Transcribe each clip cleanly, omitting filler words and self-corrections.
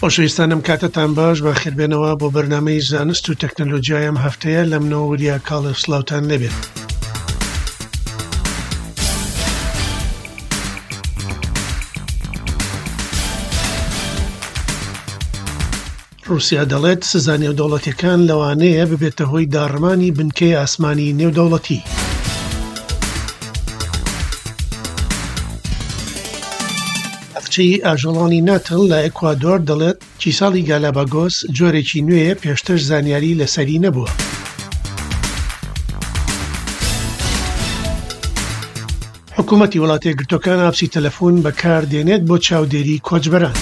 خۆشەویستانم کاتتان باش بەخێربێنەوە بۆ بەرنامەی زانست و تەکنەلۆجیای ئەم هەفتەیە لە منەوە وریا کاڵێ سڵاوتان لێبێت. ڕووسیا دەڵێت سزا نێودەوڵەتیەکان لەوانەیە ببێتە هۆی داڕمانی بنکەی ئاسمانی نێودەوڵەتی. باخچەی ئاژەڵانی ناتڵ لە ئێکوادۆر دەڵێت کیسەڵی گالاباگۆس جۆرێکی نوێیە پێشتر زانیاری لەسەری نەبووە. حکوومەتی وڵاتەیەکگرتووەکان ئاپسی تەلەفۆن بەکاردێنێت بۆ چاودێری کۆچبەران.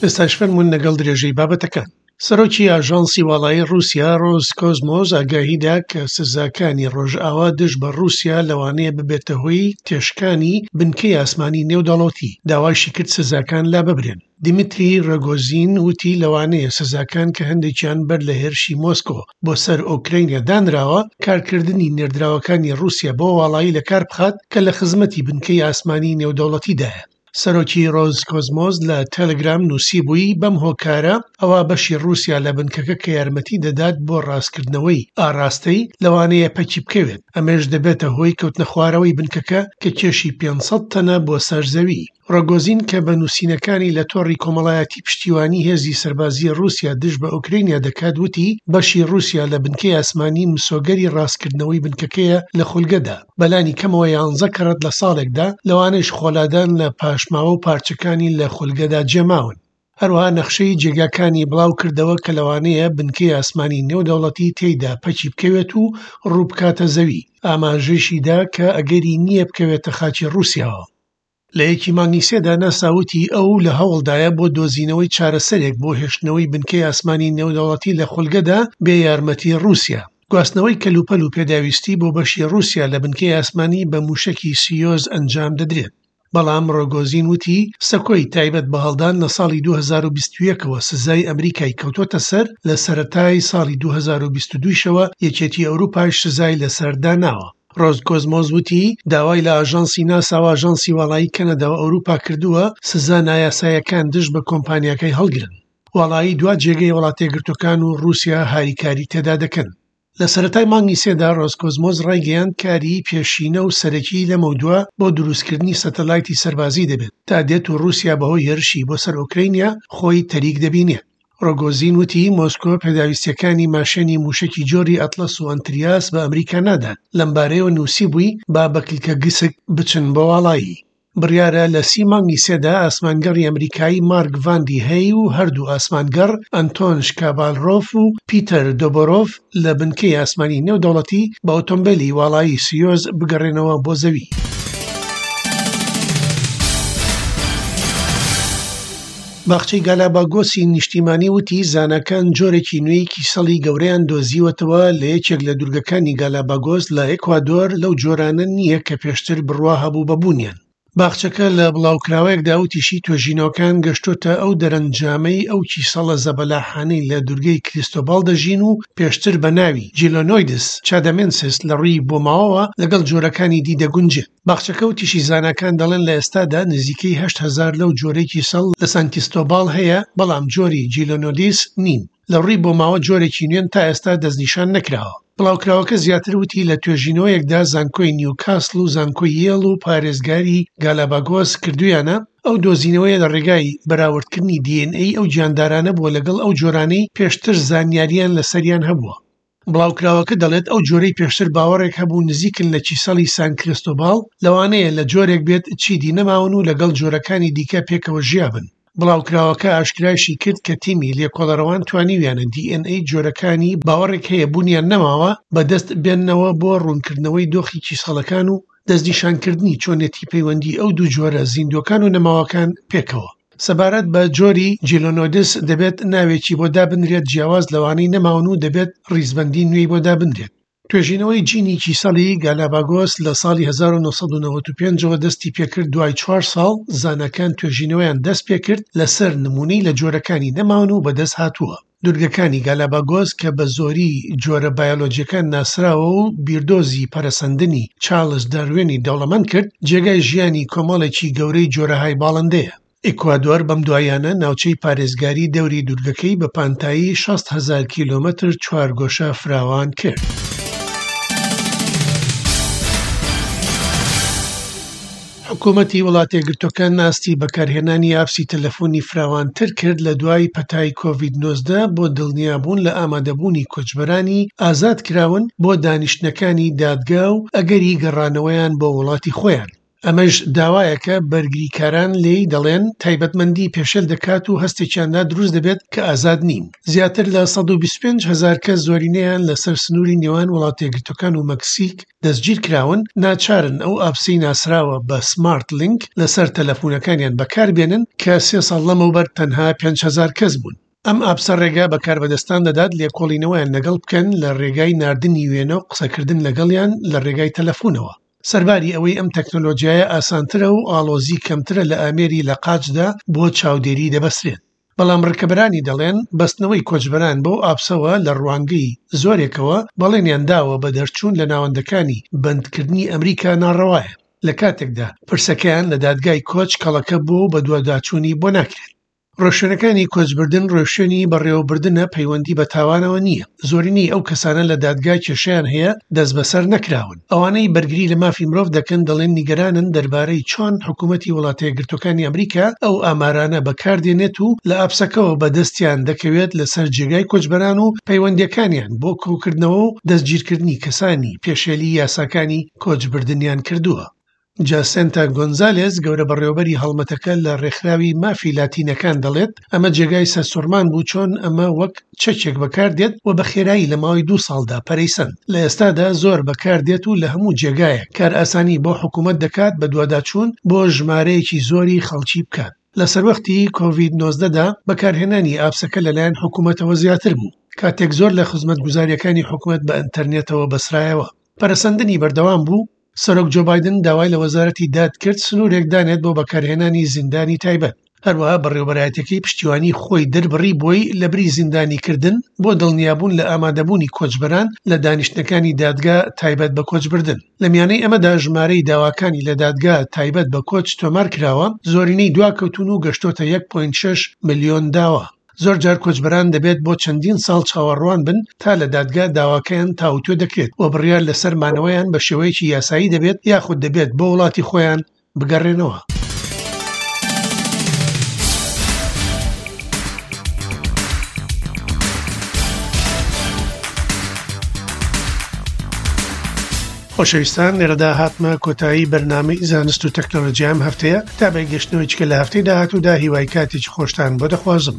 ئێستاش فەرموون لەگەڵ درێژەی بابەتەکان. سەرۆکی ئاژانسی واڵایی ڕووسیا ڕۆز کۆزمۆز ئاگاهی دا کە سزاکانی ڕۆژئاوا دژ بە ڕووسیا لەوانەیە ببێتە هۆی تێشکانی بنکەی ئاسمانی نێودەوڵەتی، داوایشی کرد سزاکان لاببرێن. دیمیتری ڕۆگۆزین وتی لەوانەیە سزاکان کە هەندێکیان بەر لە هێرشی مۆسکۆ بۆ سەر ئۆکرەینیا دانراوە، کارکردنی نێردراوەکانی ڕووسیا بۆ واڵایی لەکار بخات کە لە خزمەتی بنکەی ئاسمانی نێودەوڵەتیدایە. سەرۆکی ڕۆزکۆزمۆس لە تێلگرام نووسیبووی، بەم هۆکارە ئەوا بەشی ڕووسیا لە بنکەکە کە یارمەتی دەدات بۆ ڕاستکردنەوەی ئاڕاستەی، لەوانەیە پەکی بکەوێت، ئەمەیش دەبێتە هۆی کەوتنەخوارەوەی بنکەکە کە کێشی 500 تەنە بۆ سەر زەوی. ڕۆگۆزین کە بە نووسینەکانی لە تۆڕی کۆمەڵایەتی پشتیوانی هێزی سەربازی ڕووسیا دژ بە ئۆکرەینیا دەکات وتی، بەشی ڕووسیا لە بنکەی ئاسمانی مسۆگەری ڕاستکردنەوەی بنکەکەیە لە خولگەدا. بەلانی کەمەوە یانزە کەڕەت لە ساڵێکدا، لەوانەیش خۆلادان لە پاشماوە و پارچەکانی لە خولگەدا جێماون. هەروەها نەخشەی جێگاکانی بڵاو کردەوە کە لەوانەیە بنکەی ئاسمانی نێودەوڵەتی تێیدا پەکی بکەوێت و ڕوو بکاتە زەوی، ئاماژەیشی دا کە ئەگەری نییە بکەوێتە خاکی ڕووسیاوە. لە یەکی مانگی سێدا ناسا وتی ئەو لە هەوڵدایە بۆ دۆزینەوەی چارەسەرێک بۆ هێشتنەوەی بنکەی ئاسمانی نێودەوڵەتی لە خولگەدا بێ یارمەتی ڕووسیا. گواستنەوەی کەلوپەل و پێداویستی بۆ بەشی ڕووسیا لە بنکەی ئاسمانی بە مووشەکی سیۆز ئەنجام دەدرێت. بەڵام ڕۆگۆزین وتی سەکۆی تایبەت بە هەڵدان لە ساڵی 2021 ەوە سزای ئەمریکای کەوتووەتە سەر، لە سەرەتای ساڵی 2022 شەوە یەکێتی ئەوروپاش سزای لەسەر داناوە. ڕۆزکۆزمۆس وتی، داوای لە ئاژانسی ناسا و ئاژانسی واڵایی کەنەدا و ئەوروپا کردووە سزا نایاساییەکان دژ بە کۆمپانیاکەی هەڵگرن. واڵایی دوا جێگەی وڵاتەیەکگرتووەکان و ڕووسیا هاریکاری تێدا دەکەن. لە سەرەتای مانگی سێدا ڕۆزکۆزمۆس ڕایگەیاند کاری پێشینە و سەرەکی لەمەودوا بۆ دروستکردنی سەتەلایتی سەربازی دەبێت تا دێت و ڕووسیا بەهۆی هێرشی بۆ سەر ئۆکرەینیا خۆی تەریک دەبینێت. ڕۆگۆزین وتی، مۆسکۆ پێداویستییەکانی ماشێنی مووشەکی جۆری ئەتڵەس و ئەنتریاس بە ئەمریکا نادات، لەمبارەیەوە نووسیبووی، با بە کلکە گسک بچن بۆ واڵایی. بڕیارە لە سی مانگی سێدا ئاسمانگەڕی ئەمریکایی مارک ڤاندی هەی و هەردوو ئاسمانگەڕ ئەنتۆن شکابالرۆف و پیتەر دۆبۆرۆف لە بنکەی ئاسمانی نێودەوڵەتی بە ئۆتۆمبێلی واڵایی سیۆز بگەڕێنەوە بۆ زەوی. باخچەی گالاباگۆسی نیشتیمانی وتی زاناکان جۆرێکی نوێی کیسەڵی گەورەیان دۆزیوەتەوە لە یەکێک لە دوورگەکانی گالاباگۆس لە ئێکوادۆر لەو جۆرانە نییە کە پێشتر بڕوا هەبوو بە بوونیان. باخچەکە لە بڵاوکراوەیەکدا وتیشی توێژینەوەکان گەشتۆتە ئەو دەرەنجامەی ئەو کیسەڵە زەبەلاحانەی لە دوورگەی کریستۆباڵ دەژین و پێشتر بە ناوی جیلۆنۆیدس چادەمێنسیس لە ڕووی بۆماوەوە لەگەڵ جۆرەکانی دی دەگونجێت. باخچەکە وتیشی زاناکان دەڵێن لە ئێستادا نزیکەی 8000 لەو جۆرەی کیسەڵ لە سان کیستۆباڵ هەیە، بەڵام جۆری جیلۆنۆدیس نین. لە ڕووی بۆماوە جۆرێکی نوێن تا ئێستا دەستنیشان نەکراوە. بڵاوکراوەکە زیاتر وتی لە توێژینەوەیەکدا زانکۆی نیوکاسڵ و زانکۆی یێڵ و پارێزگاری گالاباگۆس کردوویانە، ئەو دۆزینەوەیە لە ڕێگای بەراوردکردنی دی ئێن ئەی ئەو گیاندارانە بووە لەگەڵ ئەو جۆرانەی پێشتر زانیارییان لەسەریان هەبووە. بڵاوکراوەکە دەڵێت ئەو جۆرەی پێشتر باوەڕێک هەبوو نزیکن لە کیسەڵی سان کریستۆباڵ، لەوانەیە لە جۆرێک بێت چیدی نەماون و لەگەڵ جۆرەکانی دیکە پێکەوە ژیابن. بڵاوکراوەکە ئاشکرایشی کرد کە تیمی لێکۆڵەرەوان توانیویانە دی ئێن ئەی جۆرەکانی باوەڕێک هەیە بوونیان نەماوە بەدەست بێننەوە بۆ ڕوونکردنەوەی دۆخی کیسەڵەکان و دەستنیشانکردنی چۆنێتی پەیوەندی ئەو دوو جۆرە زیندووەکان و نەماوەکان پێکەوە. سەبارەت بە جۆری جیلۆنۆدس دەبێت ناوێکی بۆ دابنرێت جیاواز لەوانەی نەماون و دەبێت ڕیزبەندی نوێی بۆ دابنرێت. توێژینەوەی جینی کیسەڵی گالاباگۆس لە ساڵی 1995 ەوە دەستی پێکرد دوای چوار ساڵ زاناکان توێژینەوەیان دەست پێکرد لەسەر نمونەی لە جۆرەکانی نەماون و بەدەست هاتووە. دوورگەکانی گالاباگۆس کە بە زۆری جۆرە بایۆلۆجیەکان ناسراوە و بیردۆزی پەرەسەندنی چارلس داروینی دەوڵەمەند کرد، جێگای ژیانی کۆمەڵێکی گەورەی جۆرەهای باڵندەیە. ئیکوادۆر بەم دواییانە ناوچەی پارێزگاری دەوری دوورگەکەی بە پانتایی 60 هەزار کیلۆمەتر چوارگۆشە فراوان کرد. حکومەتی وڵاتەیەکگرتووەکان ئاستی بەکارهێنانی ئاپسی تەلەفۆنی فراوانتر کرد لە دوای پەتای کۆڤید 19 بۆ دڵنیابوون لە ئامادەبوونی کۆچبەرانی ئازادکراون بۆ دانیشتنەکانی دادگا و ئەگەری گەڕانەوەیان بۆ وڵاتی خۆیان. ئەمەش داوایەکە بەرگریکاران لێی دەڵێن تایبەتمەندی پێشێل دەکات و هەستێکیان لا دروست دەبێت کە ئازاد نین. زیاتر لە 125 هەزار کەس زۆرینەیان لەسەر سنووری نێوان وڵاتەیەکگرتووەکان و مەکسیک دەستگیرکراون، ناچارن ئەو ئاپسەی ناسراوە بە سمارت لینک لەسەر تەلەفونەکانیان بەکاربێنن کە سێ ساڵ لەمەوبەر تەنها 5000 کەس بوون. ئەم ئاپسە ڕێگا بە کاربەدەستان دەدات لێکۆڵینەوەیان لەگەڵ بکەن لە ڕێگای ناردنی وێنە و قسەکردن لەگەڵیان لە ڕێگای تەلەفونەوە. سەرباری ئەوەی ئەم تەکنەلۆجیایە ئاسانترە و ئاڵۆزی کەمترە لە ئامێری لە قاچدا بۆ چاودێری دەبەسترێت. بەڵام ڕکەبەرانی دەڵێن بەستنەوەی کۆچبەران بەو ئاپسەوە لە ڕوانگەی زۆرێکەوە بەڵێنیان داوە بە دەرچوون لە ناوەندەکانی بەندکردنی ئەمریکا ناڕەوایە، لە کاتێکدا پرسەکەیان لە دادگای کۆچ کەڵەکە بووە و بەدواداچوونی بۆ ناکرێت. ڕێوشوێنەکانی کۆچبردن ڕێوشوێنی بەڕێوەبردنە پەیوەندی بە تاوانەوە نییە، زۆرینەی ئەو کەسانە لە دادگا کێشەیان هەیە دەستبەسەر نەکراون. ئەوانەی بەرگری لە مافی مرۆڤ دەکەن دەڵێن نیگەرانن دەربارەی چۆن حکوومەتی وڵاتەیەکگرتووەکانی ئەمریکا ئەو ئامارانە بەکاردێنێت و لە ئاپسەکەوە بەدەستیان دەکەوێت لەسەر جێگای کۆچبەران و پەیوەندییەکانیان بۆ کۆکردنەوە و دەستگیرکردنی کەسانی پێشێلی یاساکانی کۆچبردنیان کردووە. جاسێنتا گۆنزالێز، گەورە بەڕێوەبەری هەڵمەتەکە لە ڕێکخراوی مافی لاتینەکان دەڵێت، ئەمە جێگای سەرسوڕمان بوو چۆن ئەمە وەک چەکێک بەکاردێت و بە خێرایی لە ماوەی دوو ساڵدا پەرەی سەند. لە ئێستادا زۆر بەکاردێت و لە هەموو جێگایەک کارئاسانی بۆ حکومەت دەکات بەدواداچوون بۆ ژمارەیەکی زۆری خەڵکی بکات. لە سەروەختی کۆڤید 19 دا بەکارهێنانی ئاپسەکە لەلایەن حکومەتەوە زیاتر بوو، کاتێک زۆر لە خزمەتگوزارییەکانی حکومەت بە ئەنتەرنێتەوە بەسرایەوە. پەرەسەندنی بەردەوام بوو، سەرۆک جۆ بایدن داوای لە وەزارەتی داد کرد سنوورێک دانێت بۆ بەکارهێنانی زیندانی تایبەت. هەروەها بەڕێوەبەرایەتیەکەی پشتیوانی خۆی دەربڕی بۆی لەبری زیندانیکردن بۆ دڵنیابوون لە ئامادەبوونی کۆچبەران لە دانیشتنەکانی دادگا تایبەت بە کۆچبردن. لە میانەی ئەمەدا ژمارەی داواکانی لە دادگا تایبەت بە کۆچ تۆمارکراوە زۆرینەی دواکەوتوون و گەشتۆتە 1.6 ملیۆن داوا. زۆرجار کۆچبەران دەبێت بۆ چەندین ساڵ چاوەڕوان بن تا لە دادگا داواکەیان تاوتوێ دەکرێت و بڕیار لەسەر مانەوەیان بە شێوەیەکی یاسایی دەبێت یاخود دەبێت بۆ وڵاتی خۆیان بگەڕێنەوە. خۆشەویستان لێرەدا هاتمە کۆتایی بەرنامەی زانست و تەکنەلۆجیام هەفتەیە تا بە گەشتنەوەی چکە لە هەفتەی داهاتوودا هیوای کاتێکی خۆشتان بۆ دەخوازم.